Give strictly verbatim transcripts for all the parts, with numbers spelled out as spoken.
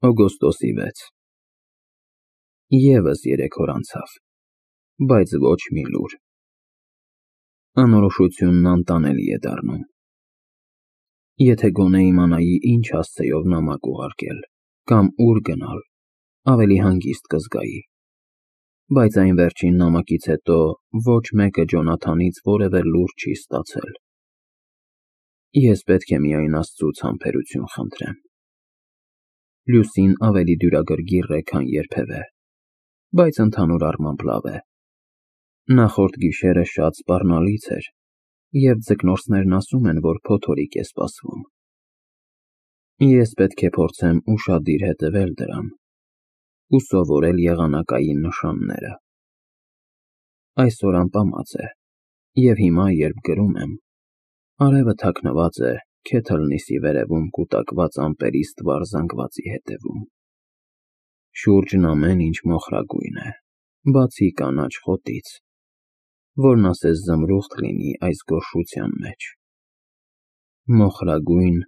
Օգոստոսի վեց Եվս երեք օր անցավ, բայց ոչ մի լուր։ Անորոշությունն անտանելի է դառնում։ Եթե գոնե իմանայի ինչ հասցեով նամակ ուղարկել, կամ ուր գնալ, ավելի հանգիստ կզգայի, բայց այն վերջին նամակից հետո ոչ մեկը Ջոնաթանից որևէ լուր չի ստացել։ Ես պետք է միայն Աստծուց համբերություն խնդրեմ։ Լուսին ավելի դյուրագրգիռ է, քան երբևէ, բայց ընդհանուր առմամբ լավ է։ Նախորդ գիշերը շատ սպառնալից էր, և ձկնորսներն ասում են, որ փոթորիկ է սպասվում։ Ես պետք է փորձեմ ուշադիր հետևել դրան ու սովորել եղանակային նշանները։ Այսօր ամպամած է, և հիմա, երբ գրում եմ, արևը թաքնված է Քեթլնիսի վերևում կուտակված ամպերի ստվար զանգվածի հետևում։ Շուրջն ամեն ինչ մոխրագույն է, բացի կանաչ խոտից, որն ասես զմրուխտ լինի այս գոռշության մեջ։ Մոխրագույն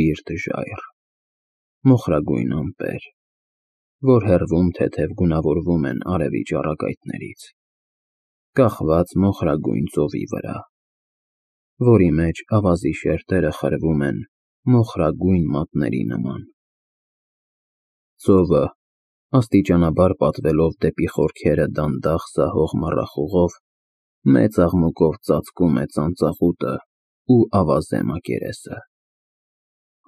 բիրտ ժայռ, մոխրագույն ամպեր, որ հեռվում թեթև գունավորվում են արևի ճառագայթներից, կախված մոխրագույն ծովի վրա, որի մեջ ավազի շերտերը խրվում են մոխրագույն մատների նման։ Ծովը, աստիճանաբար պատվելով դեպի խորքերը դանդաղ սահող մառախուղով, մեծ աղմուկով ծածկում է ծանծաղուտը ու ավազե մակերեսը։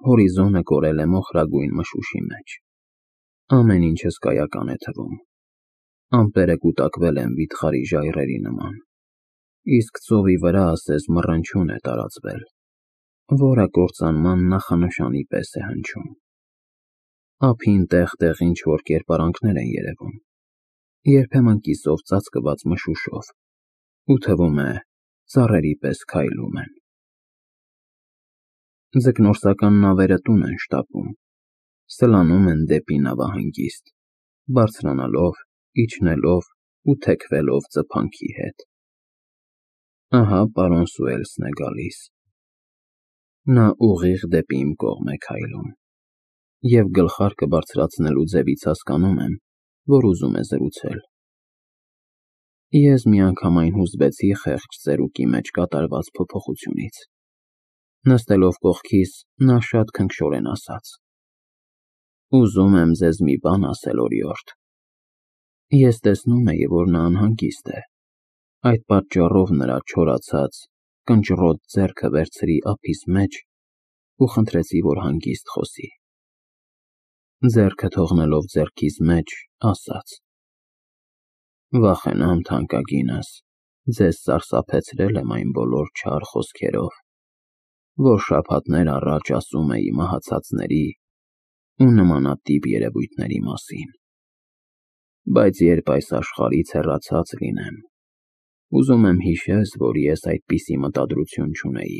Հորիզոնը կորել է մոխրագույն մշուշի մեջ։ Ամեն ինչ հսկայական է թվում։ Ամպերը կուտակվել են վիթխարի ժայռերի նման, իսկ ծովի վրա ասես մռնչյուն է տարածվել, որը կործանման նախանշանի պես է հնչում։ Ափին տեղ-տեղ ինչ-որ կերպարանքներ են երևում, երբեմն կիսով ծածկված մշուշով, ու թվում է ծառերի պես քայլում են։ Ձկնորսական նավերը տուն են շտապում, սլանում են դեպի նավահանգիստ, բարձրանալով, իջնելով ու թեքվելով ծփանքի հետ։ Ահա պարոն Սուելսն է գալիս։ Նա ուղիղ դեպի իմ կողմ է քայլում, և գլխարկը բարձրացնելու ձևից հասկանում եմ, որ ուզում է զրուցել։ Ես միանգամայն հուզվեցի խեղճ ծերուկի մեջ կատարված փոփոխությունից։ Նստելով կողքիս, նա շատ քնքշորեն ասաց. «Ուզում եմ ձեզ մի բան ասել, օրիորդ»։ Ես տեսնում էի, որ նա անհանգիստ է, այդ պատճառով նրա չորացած, կնճռոտ ձեռքը վերցրի ափիս մեջ ու խնդրեցի, որ հանգիստ խոսի։ Ձեռքը թողնելով ձեռքիս մեջ, ասաց. «Վախենամ, թանկագինս, ձեզ սարսափեցրել եմ այն բոլոր չար խոսքերով, որ շաբաթներ առաջ ասում էի մահացածների ու նմանատիպ երևույթների մասին։ Բայց երբ այս աշխարհից հեռացած լինեմ, ուզում եմ հիշես, որ ես այդպիսի մտադրություն չունեի։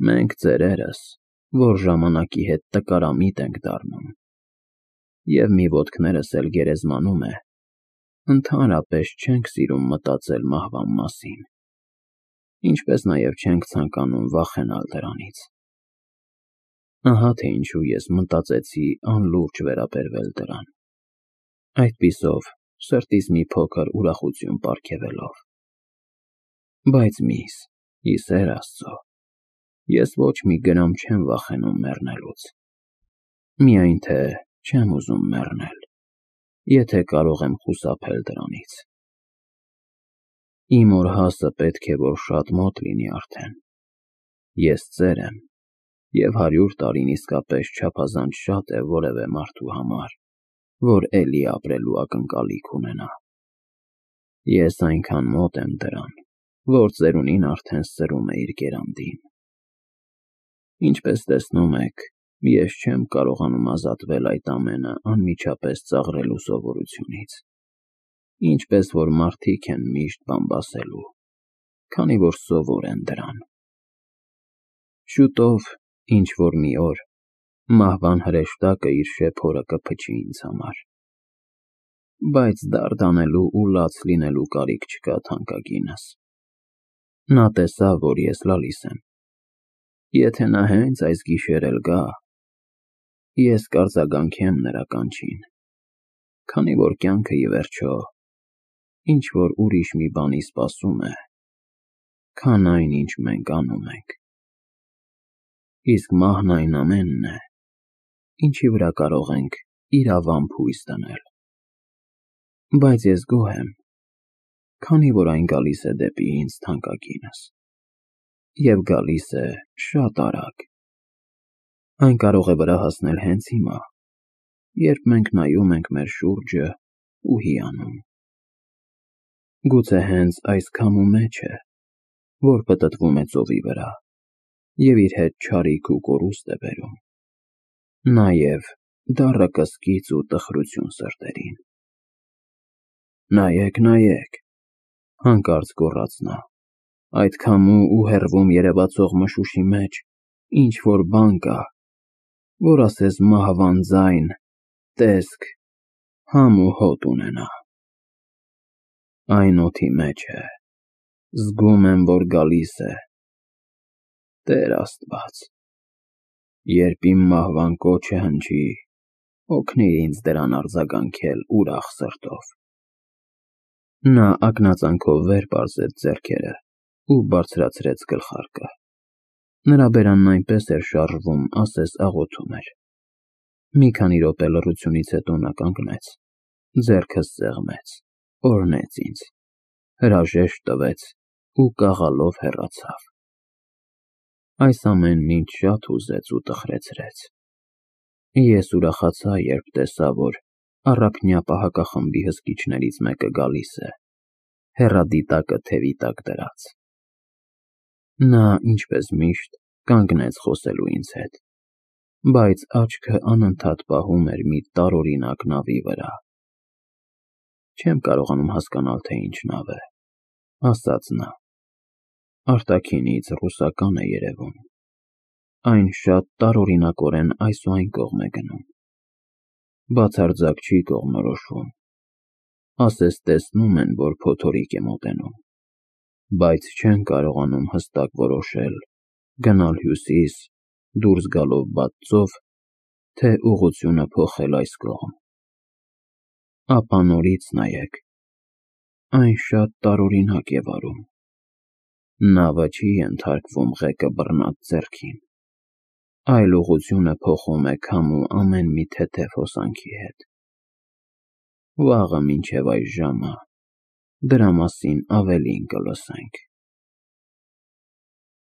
Մենք ծերերս, որ ժամանակի հետ տկարամիտ ենք դառնում, և մի ոտքներս էլ գերեզմանում է, ընդհանրապես չենք սիրում մտածել մահվան մասին, ինչպես նաև չենք ցանկանում վախենալ դրանից։ Ահա թե ինչու ես մտածեցի անլուրջ վերաբերվել դրան, այդպիսով սրտիս մի փոքր ուրախություն պարգևելով։ Բայց միս, ի սեր Աստծո, ես ոչ մի գրամ չեմ վախենում մեռնելուց, միայն թե չեմ ուզում մեռնել, եթե կարող եմ խուսափել դրանից։ Իմ օրհասը պետք է որ շատ մոտ լինի արդեն։ Ես ծեր եմ, և հարյուր տարին իսկապես չափազանց շատ է որևէ մարդու համար, որ էլի ապրելու ակնկալիք ունենա։ Ես այնքան մոտ եմ դրան, որ ծերունին արդեն սրում է իր գերանդին։ Ինչպես տեսնում եք, ես չեմ կարողանում ազատվել այդ ամենը անմիջապես ծաղրելու սովորությունից, ինչպես որ մարդիկ են միշտ բամբասելու, քանի որ սովոր են դրան։ Շուտով, ինչ-որ մի օր, մահվան հրեշտակը իր շեփորը կփչի ինձ համար։ Բայց դարդ անելու ու լաց լինելու կարիք չկա, թանկագինս։ Նա տեսավ, որ ես լալիս եմ։ Եթե նա հենց այս գիշեր էլ գա, Ես կարձագանքեմ նրա կանչին, քանի որ կյանքը ի վերջո ինչ-որ ուրիշ մի բանի սպասում է, քան այն, ինչ մենք անում ենք, իսկ մահն այն ամենն է, ինչի վրա կարող ենք իրավամբ հույս դնել, բայց ես գոհ եմ, քանի որ այն գալիս է դեպի ինձ թանկագինս, և գալիս է շատ արագ, այն կարող է վրա հասնել հենց հիմա, երբ մենք նայում ենք մեր շուրջը ու հիանում, գուցե հենց այս քամու մեջ է, որ պտտվում է ծովի վրա և իր հետ չարիք ու կորուստ է բերում, նաև դառը կսկիծ ու տխրություն սրտերին։ Նայեք, նայեք, հանկարծ գոռաց նա, այդ քամու ու հեռվում երևացող մշուշի մեջ ինչ-որ բան կա, որ ասես մահվան ձայն, տեսք, համ ու հոտ ունենա, այն օդի մեջ է, զգում եմ, որ գալիս է, Տեր Աստված, երբ իմ մահվան կոչը հնչի, օգնիր ինձ դրան արձագանքել ուրախ սրտով։ Նա ակնածանքով վեր պարզեց ձեռքերը ու բարձրացրեց գլխարկը, նրա բերանն այնպես էր շարժվում, ասես աղոթում էր, մի քանի րոպե լռությունից հետո նա կանգնեց, ձեռքս սեղմեց, օրհնեց ինձ, հրաժեշտ տվեց ու կաղալով հեռացավ։ Այս ամենն ինձ շատ հուզեց ու տխրեցրեց։ Ես ուրախացա, երբ տեսա, որ առափնյա պահակախմբի հսկիչներից մեկը գալիս է, հեռադիտակը թևի տակ դրած։ Նա, ինչպես միշտ, կանգնեց խոսելու ինձ հետ, բայց աչքը անընդհատ պահում էր մի տարօրինակ նավի վրա։ Չեմ կարողանում հասկանալ, թե ինչ նավ է, ասաց նա, արտաքինից ռուսական է երևում, այն շատ տարօրինակորեն այս ու այն կողմ է գնում, բացարձակ չի կողմնորոշվում, ասես տեսնում են, որ փոթորիկ է մոտենում, բայց չեն կարողանում հստակ որոշել գնալ հյուսիս, դուրս գալով բաց ծով, թե ուղղությունը փոխել այս կողմ։ Ապա նորից նայեք, այն շատ տարօրինակ է վարում, նավը չի ենթարկվում ղեկը բռնած ձեռքին, այլ ուղղությունը փոխում է քամու ամեն մի թեթև հոսանքի հետ։ Վաղը մինչև այս ժամը դրա մասին ավելին կլսենք։